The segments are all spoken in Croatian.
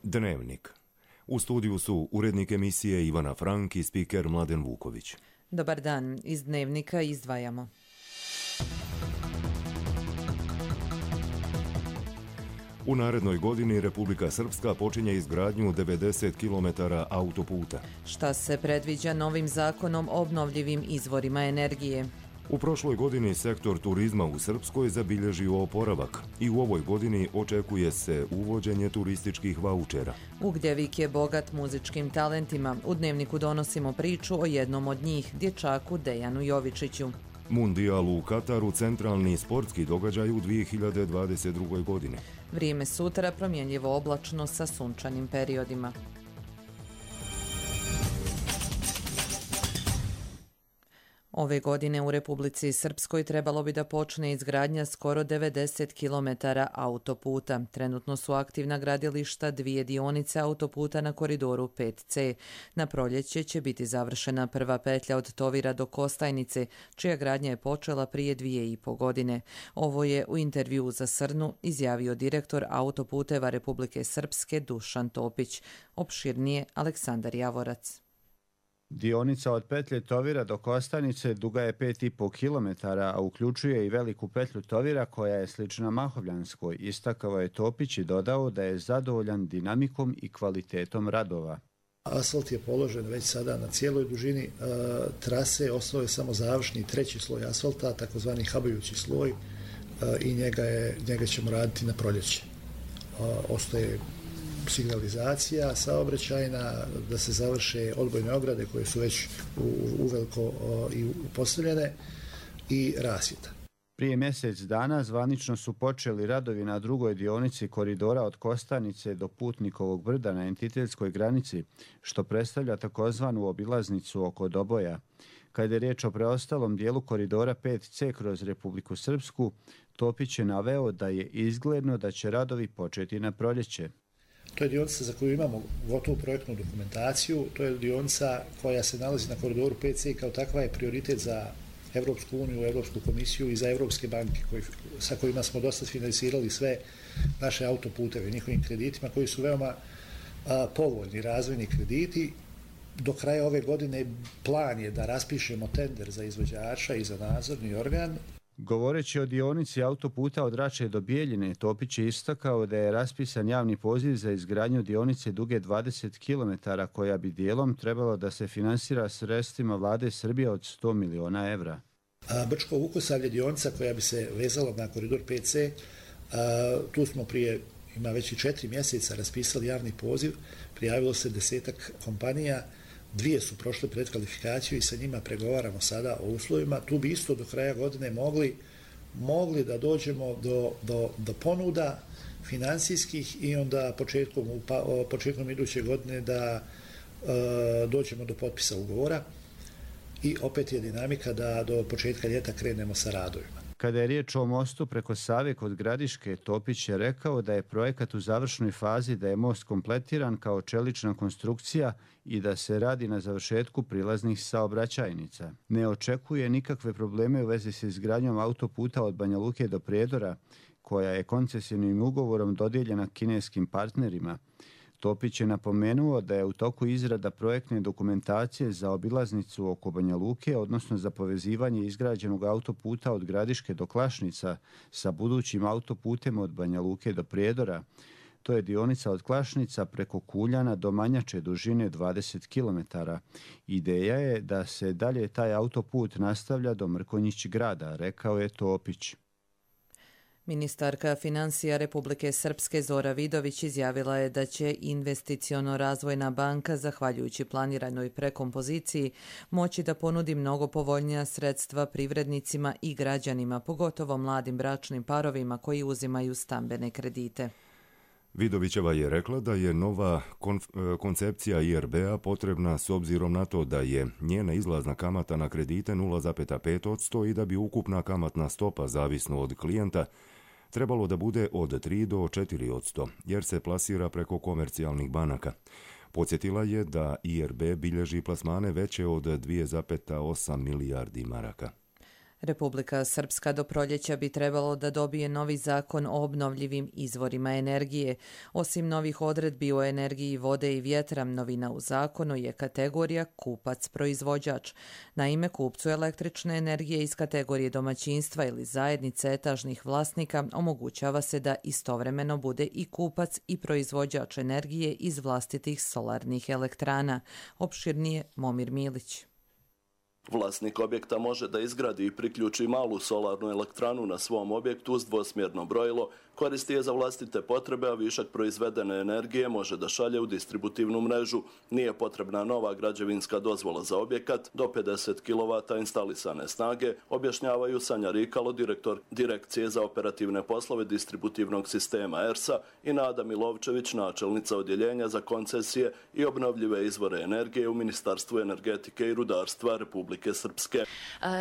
Dnevnik. U studiju su urednik emisije Ivana Frank i spiker Mladen Vuković. Dobar dan, iz Dnevnika izdvajamo. U narednoj godini Republika Srpska počinje izgradnju 90 km autoputa. Šta se predviđa novim zakonom o obnovljivim izvorima energije? U prošloj godini sektor turizma u Srpskoj zabilježio oporavak i u ovoj godini očekuje se uvođenje turističkih vaučera. Ugljevik je bogat muzičkim talentima. U Dnevniku donosimo priču o jednom od njih, dječaku Dejanu Jovičiću. Mundijal u Kataru centralni sportski događaj u 2022. godini. Vrijeme sutra promjenjivo oblačno sa sunčanim periodima. Ove godine u Republici Srpskoj trebalo bi da počne izgradnja skoro 90 km autoputa. Trenutno su aktivna gradilišta dvije dionice autoputa na koridoru 5C. Na proljeće će biti završena prva petlja od Tovira do Kostajnice, čija gradnja je počela prije 2,5 godine. Ovo je u intervjuu za Srnu izjavio direktor autoputeva Republike Srpske Dušan Topić. Opširnije Aleksandar Javorac. Dionica od petlje Tovira do Kostajnice duga je 5,5 km, a uključuje i veliku petlju Tovira koja je slična Mahovljanskoj, istakao je Topić i dodao da je zadovoljan dinamikom i kvalitetom radova. Asfalt je položen već sada na cijeloj dužini trase, ostao je samo završni treći sloj asfalta, takozvani habajući sloj, i njega ćemo raditi na proljeće. Ostaje signalizacija saobraćajna, da se završe odbojne ograde koje su već uveliko i postavljene i rasvjeta. Prije mjesec dana zvanično su počeli radovi na drugoj dionici koridora od Kostajnice do Putnikovog brda na entiteljskoj granici, što predstavlja takozvanu obilaznicu oko Doboja. Kada je riječ o preostalom dijelu koridora 5C kroz Republiku Srpsku, Topić je naveo da je izgledno da će radovi početi na proljeće. To je dionica za koju imamo gotovu projektnu dokumentaciju, to je dionica koja se nalazi na koridoru 5C i kao takva je prioritet za Evropsku uniju, Evropsku komisiju i za Evropske banke sa kojima smo dosta finansirali sve naše autoputeve njihovim kreditima koji su veoma povoljni razvojni krediti. Do kraja ove godine plan je da raspišemo tender za izvođača i za nadzorni organ. Govoreći o dionici autoputa od Rače do Bijeljine, Topić je istakao da je raspisan javni poziv za izgradnju dionice duge 20 km koja bi dijelom trebalo da se finansira sredstvima vlade Srbije od 100 miliona evra. Brčko-Vukosavlje dionica koja bi se vezala na koridor 5C, tu smo ima već i 4 mjeseca raspisali javni poziv, prijavilo se 10-ak kompanija, 2 su prošle predkvalifikaciju i sa njima pregovaramo sada o uslovima. Tu bi isto do kraja godine mogli da dođemo do ponuda finansijskih i onda početkom iduće godine da dođemo do potpisa ugovora i opet je dinamika da do početka ljeta krenemo sa radovima. Kada je riječ o mostu preko Save kod Gradiške, Topić je rekao da je projekat u završnoj fazi, da je most kompletiran kao čelična konstrukcija i da se radi na završetku prilaznih saobraćajnica. Ne očekuje nikakve probleme u vezi s izgradnjom autoputa od Banja Luke do Prijedora, koja je koncesivnim ugovorom dodijeljena kineskim partnerima. Topić je napomenuo da je u toku izrada projektne dokumentacije za obilaznicu oko Banja Luke, odnosno za povezivanje izgrađenog autoputa od Gradiške do Klašnica sa budućim autoputem od Banja Luke do Prijedora. To je dionica od Klašnica preko Kuljana do Manjače dužine 20 km. Ideja je da se dalje taj autoput nastavlja do Mrkonjić grada, rekao je Topić. Ministarka financija Republike Srpske Zora Vidović izjavila je da će Investiciono-razvojna banka, zahvaljujući planiranoj prekompoziciji, moći da ponudi mnogo povoljnija sredstva privrednicima i građanima, pogotovo mladim bračnim parovima koji uzimaju stambene kredite. Vidovićeva je rekla da je nova koncepcija IRB-a potrebna s obzirom na to da je njena izlazna kamata na kredite 0,5% i da bi ukupna kamatna stopa, zavisno od klijenta, trebalo da bude od 3 do 4%, jer se plasira preko komercijalnih banaka. Podsjetila je da IRB bilježi plasmane veće od 2,8 milijardi maraka. Republika Srpska do proljeća bi trebalo da dobije novi zakon o obnovljivim izvorima energije. Osim novih odredbi o energiji vode i vjetra, novina u zakonu je kategorija kupac-proizvođač. Naime, kupcu električne energije iz kategorije domaćinstva ili zajednice etažnih vlasnika omogućava se da istovremeno bude i kupac i proizvođač energije iz vlastitih solarnih elektrana. Opširnije Momir Milić. Vlasnik objekta može da izgradi i priključi malu solarnu elektranu na svom objektu uz dvosmjerno brojilo, koristi je za vlastite potrebe, a višak proizvedene energije može da šalje u distributivnu mrežu. Nije potrebna nova građevinska dozvola za objekat do 50 kW instalisane snage, objašnjavaju Sanja Rikalo, direktor Direkcije za operativne poslove distributivnog sistema ERSA, i Nada Milovčević, načelnica odjeljenja za koncesije i obnovljive izvore energije u Ministarstvu energetike i rudarstva Republike Srpske.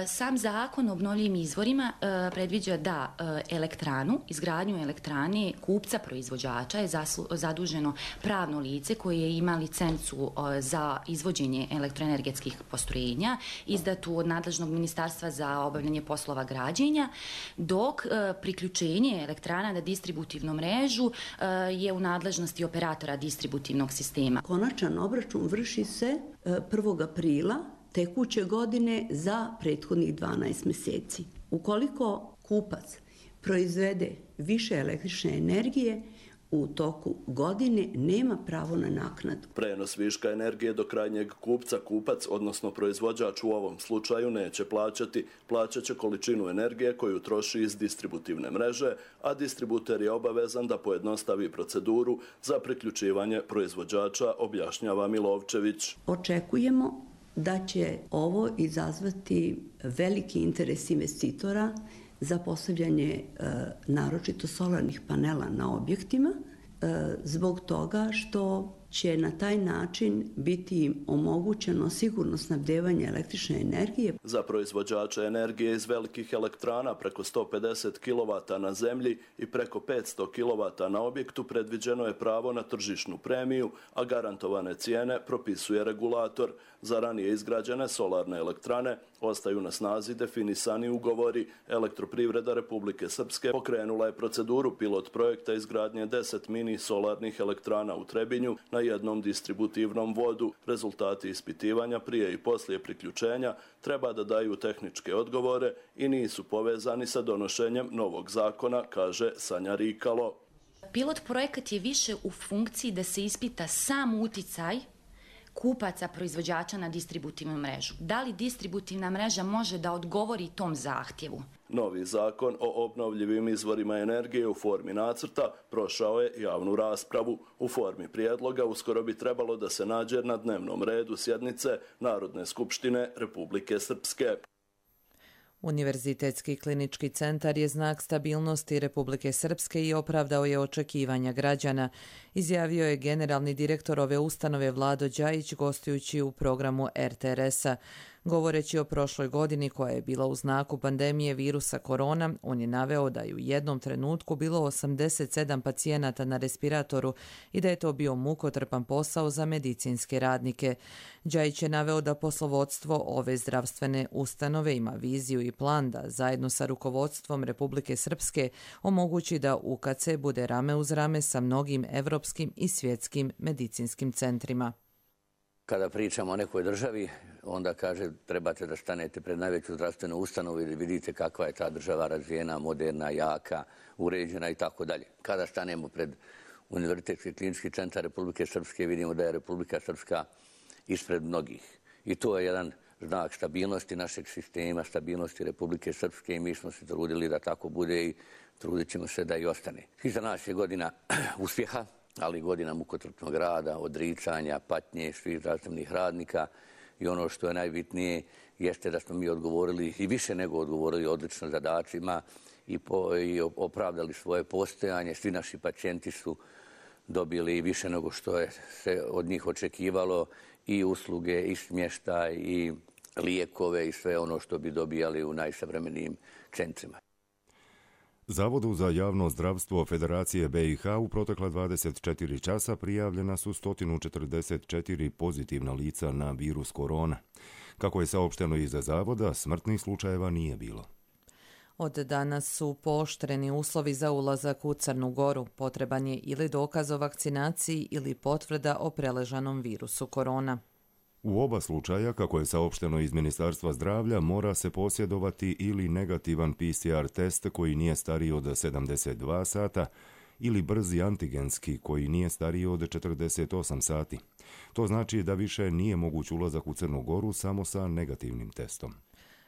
Sam zakon o obnovljivim izvorima predviđa da izgradnju elektrane kupca proizvođača je zaduženo pravno lice koje ima licencu za izvođenje elektroenergetskih postrojenja, izdatu od nadležnog ministarstva za obavljanje poslova građenja, dok priključenje elektrana na distributivnu mrežu je u nadležnosti operatora distributivnog sistema. Konačan obračun vrši se 1. aprila tekuće godine za prethodnih 12 mjeseci. Ukoliko kupac proizvede više električne energije, u toku godine nema pravo na naknadu. Prenos viška energije do krajnjeg kupca kupac, odnosno proizvođač u ovom slučaju, neće plaćati. Plaćat će količinu energije koju troši iz distributivne mreže, a distributer je obavezan da pojednostavi proceduru za priključivanje proizvođača, objašnjava Milovčević. Očekujemo da će ovo izazvati veliki interes investitora za postavljanje naročito solarnih panela na objektima, zbog toga što će na taj način biti omogućeno sigurno snabdevanje električne energije. Za proizvođače energije iz velikih elektrana preko 150 kW na zemlji i preko 500 kW na objektu predviđeno je pravo na tržišnu premiju, a garantovane cijene propisuje regulator. Za ranije izgrađene solarne elektrane ostaju na snazi definisani ugovori. Elektroprivreda Republike Srpske pokrenula je proceduru pilot projekta izgradnje 10 mini solarnih elektrana u Trebinju na jednom distributivnom vodu. Rezultati ispitivanja prije i poslije priključenja treba da daju tehničke odgovore i nisu povezani sa donošenjem novog zakona, kaže Sanja Rikalo. Pilot projekat je više u funkciji da se ispita sam uticaj kupaca proizvođača na distributivnu mrežu. Da li distributivna mreža može da odgovori tom zahtjevu? Novi zakon o obnovljivim izvorima energije u formi nacrta prošao je javnu raspravu. U formi prijedloga uskoro bi trebalo da se nađe na dnevnom redu sjednice Narodne skupštine Republike Srpske. Univerzitetski klinički centar je znak stabilnosti Republike Srpske i opravdao je očekivanja građana, izjavio je generalni direktor ove ustanove Vlado Đajić gostujući u programu RTRS-a. Govoreći o prošloj godini koja je bila u znaku pandemije virusa korona, on je naveo da je u jednom trenutku bilo 87 pacijenata na respiratoru i da je to bio mukotrpan posao za medicinske radnike. Đajić je naveo da poslovodstvo ove zdravstvene ustanove ima viziju i plan da zajedno sa rukovodstvom Republike Srpske omogući da UKC bude rame uz rame sa mnogim evropskim i svjetskim medicinskim centrima. Kada pričamo o nekoj državi, onda kaže trebate da stanete pred najveću zdravstvenu ustanovu i da vidite kakva je ta država razvijena, moderna, jaka, uređena i tako dalje. Kada stanemo pred Univerzitetski klinički centar Republike Srpske, vidimo da je Republika Srpska ispred mnogih. I to je jedan znak stabilnosti našeg sistema, stabilnosti Republike Srpske i mi smo se trudili da tako bude i trudit ćemo se da i ostane. Iza nas je godina uspjeha, ali godina mukotrpnog rada, odricanja, patnje svih zdravstvenih radnika i ono što je najbitnije jeste da smo mi odgovorili i više nego odgovorili odlično zadacima i opravdali svoje postojanje. Svi naši pacijenti su dobili više nego što je se od njih očekivalo i usluge, i smještaj, i lijekove i sve ono što bi dobijali u najsavremenijim centrima. Zavodu za javno zdravstvo Federacije BiH u protekla 24 časa prijavljena su 144 pozitivna lica na virus korona. Kako je saopšteno iz zavoda, smrtnih slučajeva nije bilo. Od danas su pooštreni uslovi za ulazak u Crnu Goru. Potreban je ili dokaz o vakcinaciji ili potvrda o preležanom virusu korona. U oba slučaja, kako je saopšteno iz Ministarstva zdravlja, mora se posjedovati ili negativan PCR test koji nije stariji od 72 sata ili brzi antigenski koji nije stariji od 48 sati. To znači da više nije moguć ulazak u Crnu Goru samo sa negativnim testom.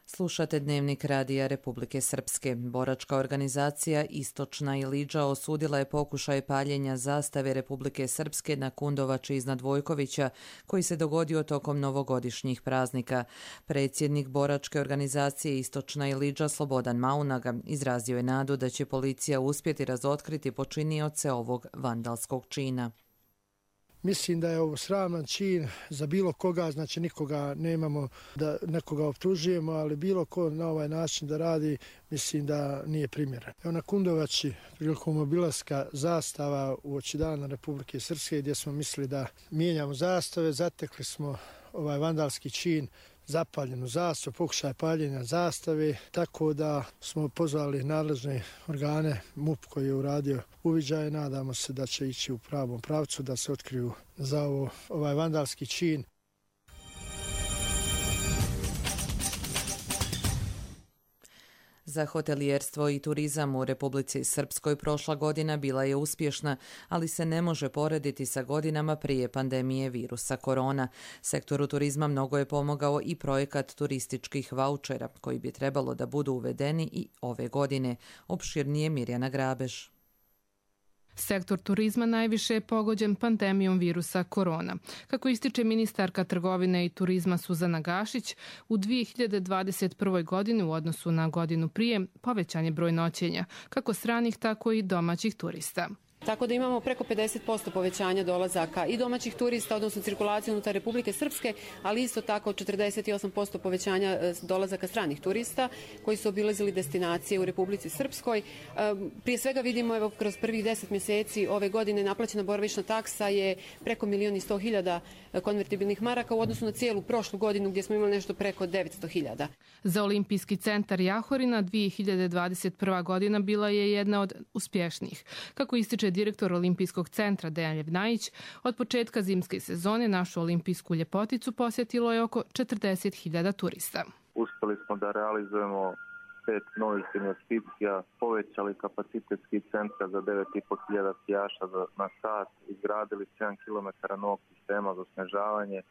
Slušate Dnevnik radija Republike Srpske. Boračka organizacija Istočna Ilidža osudila je pokušaj paljenja zastave Republike Srpske na Kundovači iznad Vojkovića, koji se dogodio tokom novogodišnjih praznika. Predsjednik Boračke organizacije Istočna Ilidža Slobodan Maunaga izrazio je nadu da će policija uspjeti razotkriti počinioce ovog vandalskog čina. Mislim da je ovo sraman čin za bilo koga, znači nikoga nemamo da nekoga optužujemo, ali bilo ko na ovaj način da radi, mislim da nije primjeren. Evo na Kundovači, prilikom obilaska zastava uoči dana Republike Srpske, gdje smo mislili da mijenjamo zastave, zatekli smo ovaj vandalski čin, zapaljenu zastavu, pokušaj paljenja zastave, tako da smo pozvali nadležne organe, MUP koji je uradio uviđaje, nadamo se da će ići u pravom pravcu, da se otkriju za ovaj vandalski čin. Za hotelijerstvo i turizam u Republici Srpskoj prošla godina bila je uspješna, ali se ne može porediti sa godinama prije pandemije virusa korona. Sektoru turizma mnogo je pomogao i projekat turističkih vaučera, koji bi trebalo da budu uvedeni i ove godine. Opširnije Mirjana Grabež. Sektor turizma najviše je pogođen pandemijom virusa korona. Kako ističe ministarka trgovine i turizma Suzana Gašić, u 2021. godini u odnosu na godinu prije povećan je broj noćenja, kako stranih, tako i domaćih turista. Tako da imamo preko 50% povećanja dolazaka i domaćih turista, odnosno cirkulacije unutar Republike Srpske, ali isto tako 48% povećanja dolazaka stranih turista koji su obilazili destinacije u Republici Srpskoj. Prije svega vidimo, evo, kroz prvih 10 mjeseci ove godine naplaćena boravišna taksa je preko 1.100.000 konvertibilnih maraka u odnosu na cijelu prošlu godinu gdje smo imali nešto preko 900.000. Za Olimpijski centar Jahorina 2021. godina bila je jedna od uspješnijih. Kako ističe direktor Olimpijskog centra Dejan Ljevnajić, od početka zimske sezone našu olimpijsku ljepoticu posjetilo je oko 40.000 turista. Uspjeli smo da realizujemo 5 novih investicija, povećali kapacitet ski centra za 9.500 skijaša na sat, izgradili 7 km novog sistema za osnežavanje,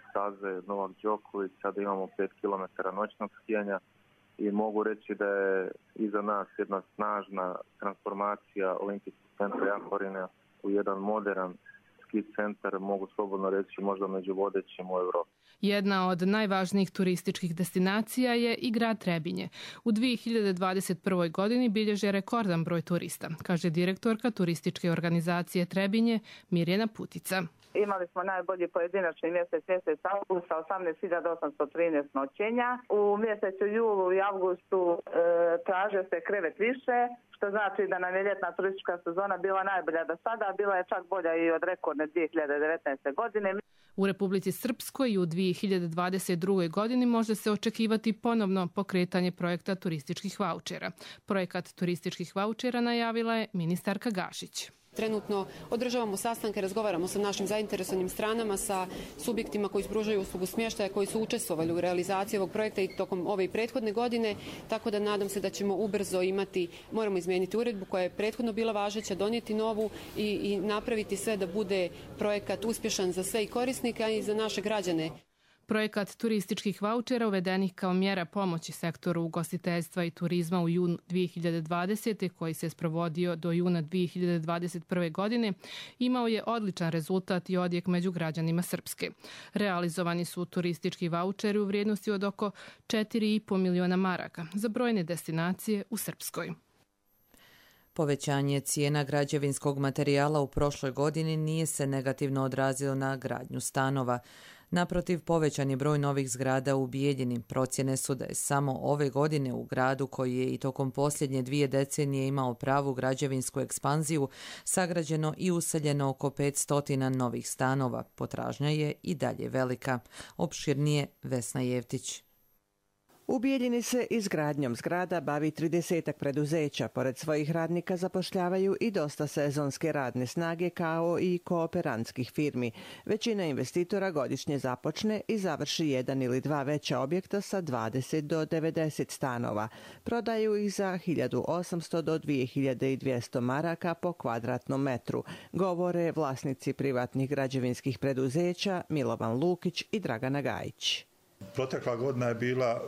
staze Novak Đoković, sada imamo 5 km noćnog skijanja i mogu reći da je iza nas jedna snažna transformacija Olimpijskog centra Jahorina u jedan modern ski centar, mogu slobodno reći možda među vodećim u Evropi. Jedna od najvažnijih turističkih destinacija je i grad Trebinje. U 2021. godini bilježe rekordan broj turista, kaže direktorka turističke organizacije Trebinje Mirjana Putica. Imali smo najbolji pojedinačni mjesec avgust sa 18.813 noćenja. U mjesecu julu i avgustu traže se krevet više, što znači da nam je ljetna turistička sezona bila najbolja do sada, bila je čak bolja i od rekordne 2019. godine. U Republici Srpskoj u 2022. godini može se očekivati ponovno pokretanje projekta turističkih vaučera. Projekat turističkih vaučera najavila je ministarka Gašić. Trenutno održavamo sastanke, razgovaramo sa našim zainteresovanim stranama, sa subjektima koji pružaju uslugu smještaja, koji su učestvovali u realizaciji ovog projekta i tokom ove i prethodne godine, tako da nadam se da ćemo ubrzo moramo izmijeniti uredbu koja je prethodno bila važeća, donijeti novu i napraviti sve da bude projekat uspješan za sve i korisnike, a i za naše građane. Projekat turističkih vaučera uvedenih kao mjera pomoći sektoru ugostiteljstva i turizma u junu 2020. koji se sprovodio do juna 2021. godine imao je odličan rezultat i odjek među građanima Srpske. Realizovani su turistički vaučeri u vrijednosti od oko 4,5 miliona maraka za brojne destinacije u Srpskoj. Povećanje cijena građevinskog materijala u prošloj godini nije se negativno odrazilo na gradnju stanova. Naprotiv, povećan je broj novih zgrada u Bijeljini. Procjene su da je samo ove godine u gradu, koji je i tokom posljednje 2 decenije imao pravu građevinsku ekspanziju, sagrađeno i useljeno oko 500 novih stanova. Potražnja je i dalje velika. Opširnije Vesna Jevtić. U Bijeljini se izgradnjom zgrada bavi 30 preduzeća. Pored svojih radnika zapošljavaju i dosta sezonske radne snage kao i kooperantskih firmi. Većina investitora godišnje započne i završi 1 ili 2 veća objekta sa 20 do 90 stanova. Prodaju ih za 1800 do 2200 maraka po kvadratnom metru, govore vlasnici privatnih građevinskih preduzeća Milovan Lukić i Dragana Gajić. Protekla godina je bila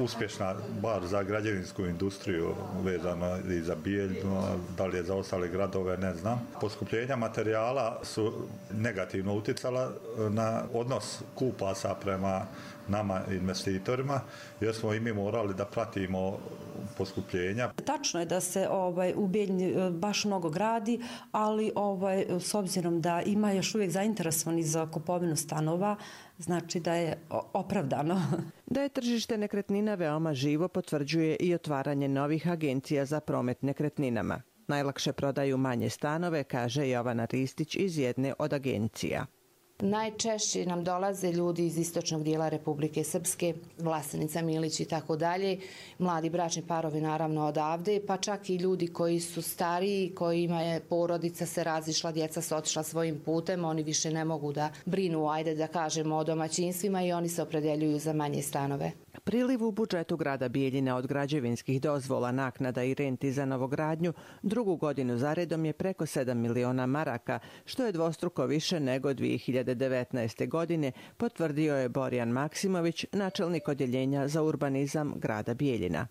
uspješna bar za građevinsku industriju, vezano i za Bijeljinu, da li je za ostale gradove, ne znam. Poskupljenja materijala su negativno utjecala na odnos kupaca prema nama investitorima, jer smo i mi morali da pratimo poskupljenja. Tačno je da se u Bijeljini baš mnogo gradi, ali s obzirom da ima još uvijek zainteresovani za kupovinu stanova, znači da je opravdano. Da je tržište nekretnina veoma živo potvrđuje i otvaranje novih agencija za promet nekretninama. Najlakše prodaju manje stanove, kaže Jovana Ristić iz jedne od agencija. Najčešće nam dolaze ljudi iz istočnog dijela Republike Srpske, Vlasenica, Milić i tako dalje, mladi bračni parovi naravno odavde, pa čak i ljudi koji su stariji, kojima je porodica se razišla, djeca su otišla svojim putem, oni više ne mogu da brinu, ajde da kažemo, o domaćinstvima i oni se opredjeljuju za manje stanove. Priliv u budžetu grada Bijeljina od građevinskih dozvola, naknada i renti za novogradnju drugu godinu zaredom je preko 7 miliona maraka, što je dvostruko više nego 2019. godine, potvrdio je Borjan Maksimović, načelnik odjeljenja za urbanizam grada Bijeljina.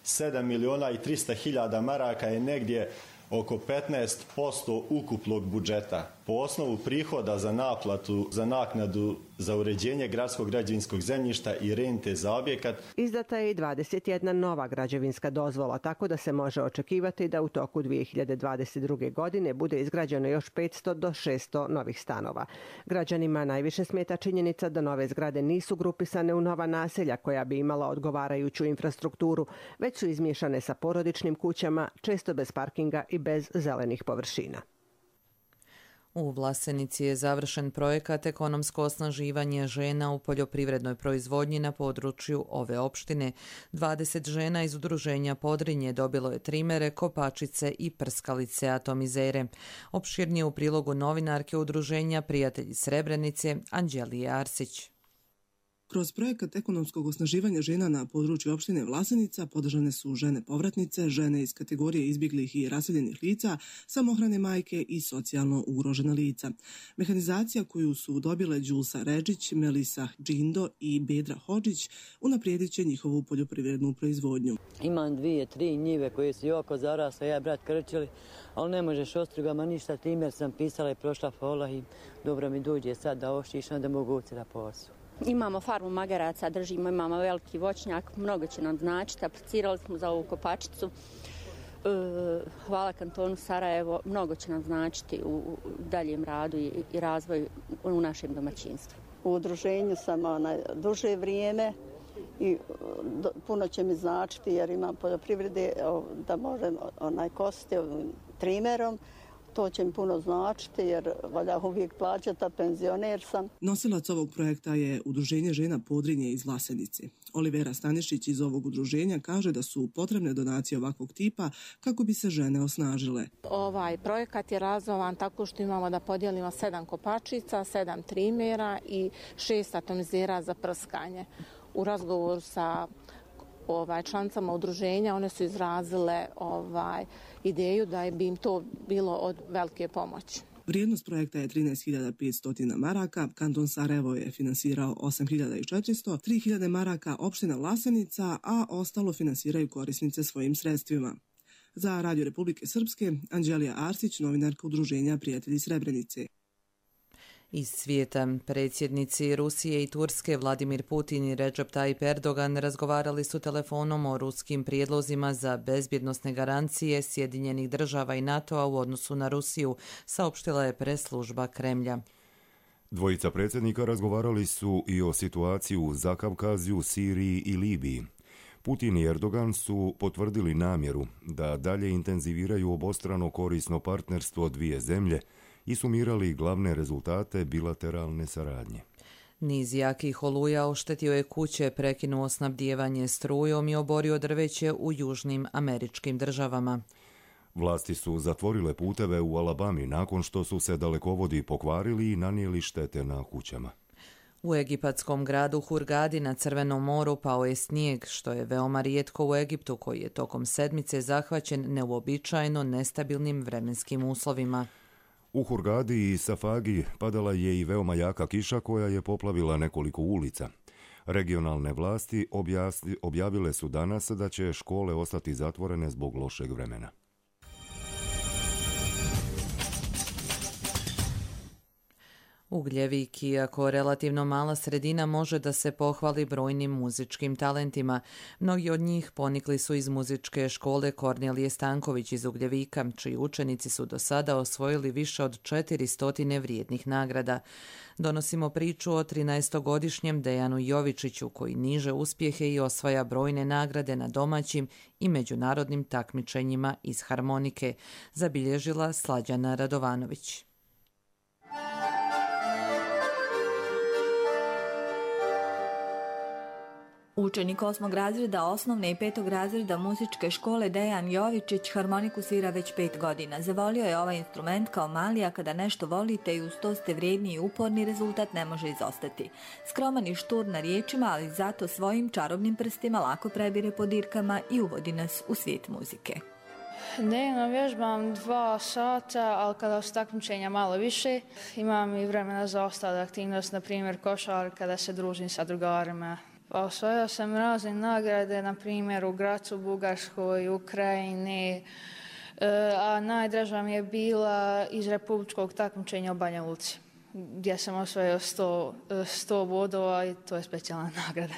7 miliona i 300 hiljada maraka je negdje oko 15% ukupnog budžeta. Po osnovu prihoda za naplatu, za naknadu za uređenje gradskog građevinskog zemljišta i rente za objekat. Izdata je i 21 nova građevinska dozvola, tako da se može očekivati da u toku 2022. godine bude izgrađeno još 500 do 600 novih stanova. Građanima najviše smeta činjenica da nove zgrade nisu grupisane u nova naselja koja bi imala odgovarajuću infrastrukturu, već su izmiješane sa porodičnim kućama, često bez parkinga i bez zelenih površina. U Vlasenici je završen projekat ekonomsko osnaživanje žena u poljoprivrednoj proizvodnji na području ove opštine. 20 žena iz udruženja Podrinje dobilo je trimere, kopačice i prskalice atomizere. Opširnije u prilogu novinarke udruženja Prijatelji Srebrenice Anđelije Arsić. Kroz projekat ekonomskog osnaživanja žena na području opštine Vlasenica podržane su žene povratnice, žene iz kategorije izbjeglih i raseljenih lica, samohrane majke i socijalno ugrožena lica. Mehanizacija koju su dobile Đulsa Ređić, Melisa Džindo i Bedra Hodžić unaprijedit će njihovu poljoprivrednu proizvodnju. Imam 2-3 njive koje su jako zarasle, ja brat krčili, ali ne možeš ostrugama ništa tim jer sam pisala i prošla pola i dobro mi dođe sad da oštiš, onda mogu ući da posu. Imamo farmu magaraca, držimo, imamo veliki voćnjak, mnogo će nam značiti, aplicirali smo za ovu kopačicu. Hvala kantonu Sarajevo, mnogo će nam značiti u daljem radu i razvoju u našem domaćinstvu. U udruženju sam duže vrijeme i puno će mi značiti jer imam poljoprivrede da možem kositi trimerom. To će mi puno značiti jer valja uvijek plaćati, a penzioner sam. Nosilac ovog projekta je Udruženje žena Podrinje iz Vlasenice. Olivera Stanišić iz ovog udruženja kaže da su potrebne donacije ovakvog tipa kako bi se žene osnažile. Ovaj projekat je razvojan tako što imamo da podijelimo 7 kopačica, 7 trimera i 6 atomizera za prskanje. U razgovoru sa članicama udruženja one su izrazile ideju da bi im to bilo od velike pomoći. Vrijednost projekta je 13.500 maraka, kanton Sarajevo je finansirao 8.400, 3.000 maraka opština Vlasenica, a ostalo finansiraju korisnice svojim sredstvima. Za Radio Republike Srpske, Anđelija Arsić, novinarka udruženja Prijatelji Srebrenice. Iz svijeta, predsjednici Rusije i Turske Vladimir Putin i Recep Tayyip Erdogan razgovarali su telefonom o ruskim prijedlozima za bezbjednosne garancije Sjedinjenih država i NATO-a u odnosu na Rusiju, saopštila je press služba Kremlja. Dvojica predsjednika razgovarali su i o situaciji u Zakavkazju, Siriji i Libiji. Putin i Erdogan su potvrdili namjeru da dalje intenziviraju obostrano korisno partnerstvo dvije zemlje i sumirali glavne rezultate bilateralne saradnje. Niz jakih oluja oštetio je kuće, prekinuo snabdijevanje strujom i oborio drveće u južnim američkim državama. Vlasti su zatvorile puteve u Alabami nakon što su se dalekovodi pokvarili i nanijeli štete na kućama. U egipatskom gradu Hurgadi na Crvenom moru pao je snijeg, što je veoma rijetko u Egiptu, koji je tokom sedmice zahvaćen neuobičajeno nestabilnim vremenskim uslovima. U Hurgadi i Safagi padala je i veoma jaka kiša koja je poplavila nekoliko ulica. Regionalne vlasti objavile su danas da će škole ostati zatvorene zbog lošeg vremena. Ugljevik, iako relativno mala sredina, može da se pohvali brojnim muzičkim talentima. Mnogi od njih ponikli su iz muzičke škole Kornelije Stanković iz Ugljevika, čiji učenici su do sada osvojili više od 400 vrijednih nagrada. Donosimo priču o 13-godišnjem Dejanu Jovičiću, koji niže uspjehe i osvaja brojne nagrade na domaćim i međunarodnim takmičenjima iz harmonike, zabilježila Slađana Radovanović. Učenik 8. razreda osnovne i 5. razreda muzičke škole Dejan Jovičić harmoniku svira već 5 godina. Zavolio je ovaj instrument kao mali, a kada nešto volite i uz to ste vrijedni i uporni, rezultat ne može izostati. Skroman i štur na riječima, ali zato svojim čarobnim prstima lako prebire po dirkama i uvodi nas u svijet muzike. Dnevno vježbam 2 sata, ali kada su takmičenja malo više, imam i vremena za ostale aktivnosti, na primjer košarka, da se družim sa drugarima. Osvojio sam razne nagrade, na primjer u Gracu, Bugarskoj, Ukrajini, a najdraža mi je bila iz republičkog takmičenja u Banja Luci, gdje sam osvojio 100 bodova i to je specijalna nagrada.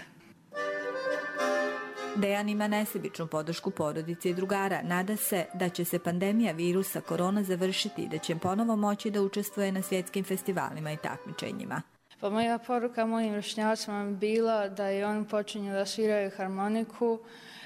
Dejan ima nesebičnu podršku porodice i drugara. Nada se da će se pandemija virusa korona završiti i da će ponovo moći da učestvuje na svjetskim festivalima i takmičenjima. Pa moja poruka mojim vršnjacima je bila da i oni počinju da sviraju harmoniku,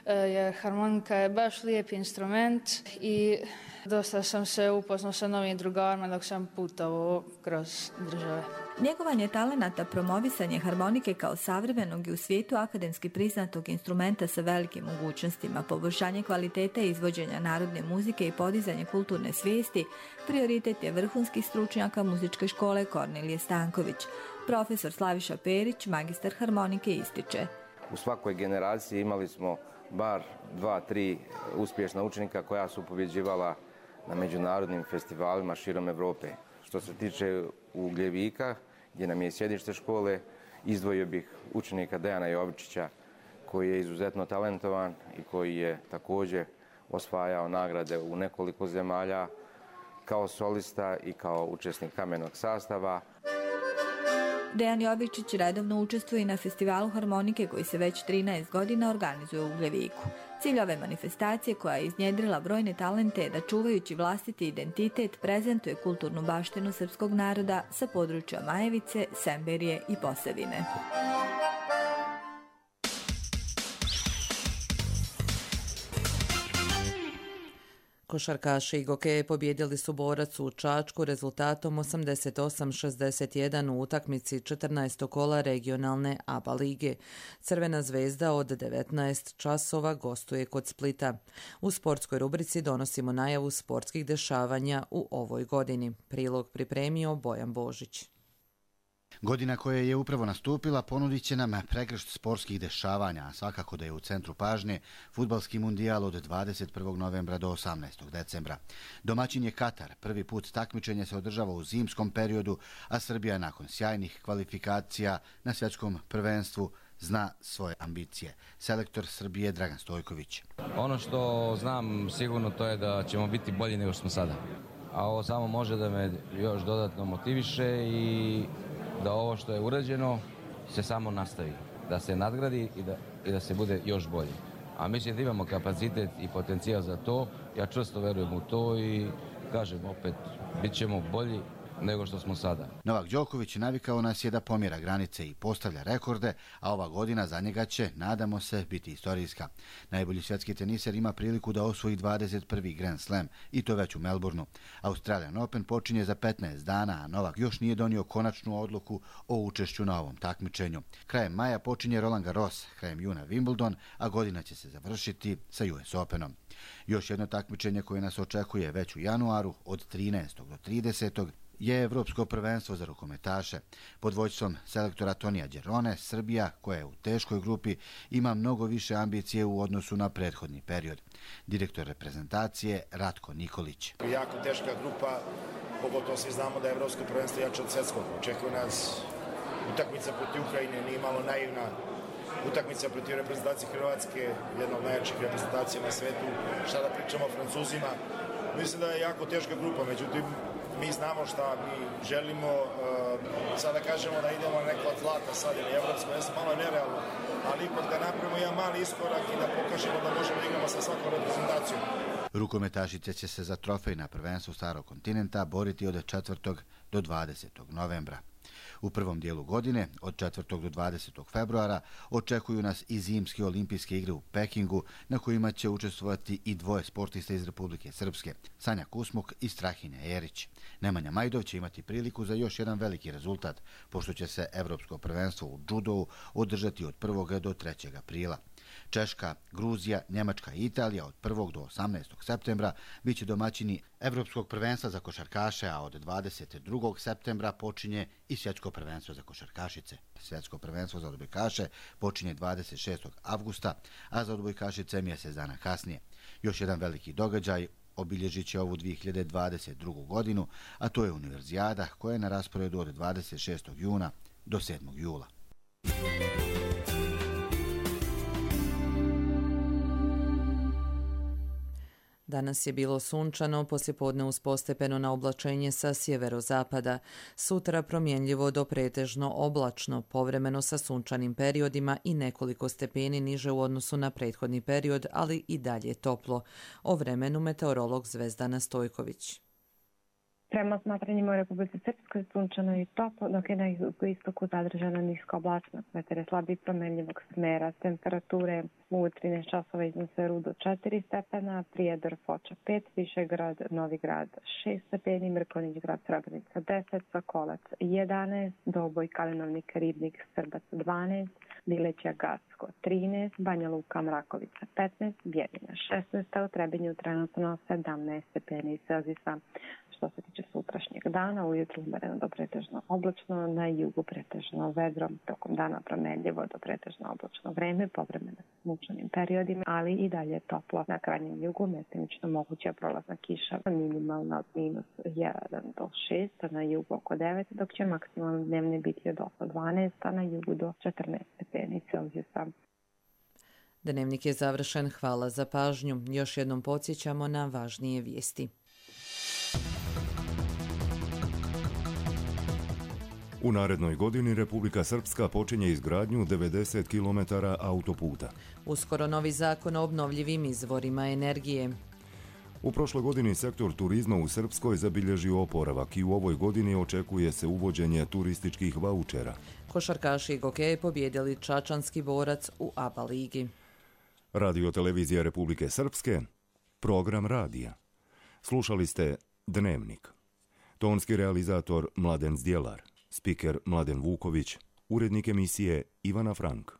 jer harmonika je baš lijep instrument i dosta sam se upoznao sa novim drugarima dok sam putovao kroz države. Njegovanje talenata, promovisanje harmonike kao savremenog i u svijetu akademski priznatog instrumenta sa velikim mogućnostima, poboljšanje kvaliteta izvođenja narodne muzike i podizanje kulturne svijesti, prioritet je vrhunskih stručnjaka muzičke škole Kornelije Stanković. Profesor Slaviša Perić, magistar harmonike, ističe: u svakoj generaciji imali smo bar 2-3 uspješna učenika koja su pobjeđivala na međunarodnim festivalima širom Evrope. Što se tiče Ugljevika, gdje nam je sjedište škole, izdvojio bih učenika Dejana Jovičića, koji je izuzetno talentovan i koji je također osvajao nagrade u nekoliko zemalja kao solista i kao učesnik kamenog sastava. Dejan Jovičić redovno učestvuje na festivalu harmonike koji se već 13 godina organizuje u Ugljeviku. Cilj ove manifestacije, koja je iznjedrila brojne talente, je da čuvajući vlastiti identitet prezentuje kulturnu baštinu srpskog naroda sa područja Majevice, Semberije i Posavine. Košarkaši Igokeje pobjedili su Borac u Čačku rezultatom 88-61 u utakmici 14. kola regionalne ABA lige. Crvena zvezda od 19 časova gostuje kod Splita. U sportskoj rubrici donosimo najavu sportskih dešavanja u ovoj godini. Prilog pripremio Bojan Božić. Godina koja je upravo nastupila ponudit će nam pregršt sportskih dešavanja, a svakako da je u centru pažnje fudbalski mundijal od 21. novembra do 18. decembra. Domaćin je Katar. Prvi put takmičenje se održava u zimskom periodu, a Srbija nakon sjajnih kvalifikacija na svjetskom prvenstvu zna svoje ambicije. Selektor Srbije Dragan Stojković. Ono što znam sigurno to je da ćemo biti bolji nego što smo sada. A ovo samo može da me još dodatno motiviše i da ovo što je urađeno se samo nastavi, da se nadgradi i da se bude još bolje. A mislim da imamo kapacitet i potencijal za to, ja čvrsto verujem u to i kažem opet, bit ćemo bolji nego što smo sada. Novak Đoković navikao nas je da pomjera granice i postavlja rekorde, a ova godina za njega će, nadamo se, biti istorijska. Najbolji svjetski teniser ima priliku da osvoji 21. Grand Slam, i to već u Melbourneu. Australian Open počinje za 15 dana, a Novak još nije donio konačnu odluku o učešću na ovom takmičenju. Krajem maja počinje Roland Garros, krajem juna Wimbledon, a godina će se završiti sa US Openom. Još jedno takmičenje koje nas očekuje već u januaru, od 13. do 30. je Evropsko prvenstvo za rukometaše. Pod vođstvom selektora Tonija Đerone, Srbija, koja je u teškoj grupi, ima mnogo više ambicije u odnosu na prethodni period. Direktor reprezentacije Ratko Nikolić. Jako teška grupa, pogotovo svi znamo da je Evropsko prvenstvo jače od svjetskog. Očekuje nas utakmica protiv Ukrajine, nije malo naivna. Utakmica protiv reprezentacije Hrvatske, jedna od najjačih reprezentacija na svetu. Šta da pričamo o Francuzima? Mislim da je jako teška grupa, međutim, mi znamo šta mi želimo. Sada kažemo da idemo na neko Atlanta sad ili Evropsko, malo je nerealno, ali ipak da napravimo jedan mali iskorak i da pokažemo da možemo da igramo sa svakom reprezentacijom. Rukometašice će se za trofej na prvenstvu Starog kontinenta boriti od 4. do 20. novembra. U prvom dijelu godine, od 4. do 20. februara, očekuju nas i zimske olimpijske igre u Pekingu, na kojima će učestvovati i dvoje sportista iz Republike Srpske, Sanja Kusmuk i Strahinja Jerić. Nemanja Majdov će imati priliku za još jedan veliki rezultat, pošto će se Evropsko prvenstvo u džudou održati od 1. do 3. aprila. Češka, Gruzija, Njemačka i Italija od 1. do 18. septembra bit će domaćini Evropskog prvenstva za košarkaše, a od 22. septembra počinje i svjetsko prvenstvo za košarkašice. Svjetsko prvenstvo za odbojkaše počinje 26. avgusta, a za odbojkašice mjesec dana kasnije. Još jedan veliki događaj obilježit će ovu 2022. godinu, a to je Univerzijada koja je na rasporedu od 26. juna do 7. jula. Danas je bilo sunčano, poslijepodne uz postepeno na oblačenje sa sjeverozapada. Sutra promjenljivo do pretežno oblačno, povremeno sa sunčanim periodima i nekoliko stepeni niže u odnosu na prethodni period, ali i dalje toplo. O vremenu meteorolog Zvezdana Stojković. Prema smatranjima u Republici Srpskoj sunčano i toplo, dok je na istoku zadržana niska oblačnost. Vetar je slabiji promenljivog smera. Temperature u 13 časova iznose Rudo 4 stepena, Prijedor Foča 5, Višegrad, Novigrad 6 stepeni, Mrkonjić grad Srebrenica 10, Sokolac 11, Doboj, Kalinovnik, Ribnik, Srbac 12, Bileća, Gacko 13, Banja Luka, Mrakovica 15, Bjeljina 16, a u Trebinju trenutno 17 stepeni Celzijusa. Što se tiče sutrašnjeg dana, ujutru umereno do pretežno oblačno, na jugu pretežno vedro, tokom dana promenljivo do pretežno oblačno vreme, povremeno s sunčanim periodima, ali i dalje toplo. Na krajnjem jugu mestimično moguća prolazna kiša, minimalna od -1 do 6, a na jugu oko 9, dok će maksimalno dnevne biti od 12, a na jugu do 14 stepeni Celzijusa. Dnevnik je završen, hvala za pažnju. Još jednom podsjećamo na važnije vijesti. U narednoj godini Republika Srpska počinje izgradnju 90 km autoputa. Uskoro novi zakon o obnovljivim izvorima energije. U prošloj godini sektor turizma u Srpskoj zabilježio oporavak i u ovoj godini očekuje se uvođenje turističkih vaučera. Košarkaši Gokeje pobjedili Čačanski Borac u ABA ligi. Radio televizija Republike Srpske, program radija. Slušali ste Dnevnik. Tonski realizator Mladen Zdjelar, spiker Mladen Vuković, urednik emisije Ivana Frank.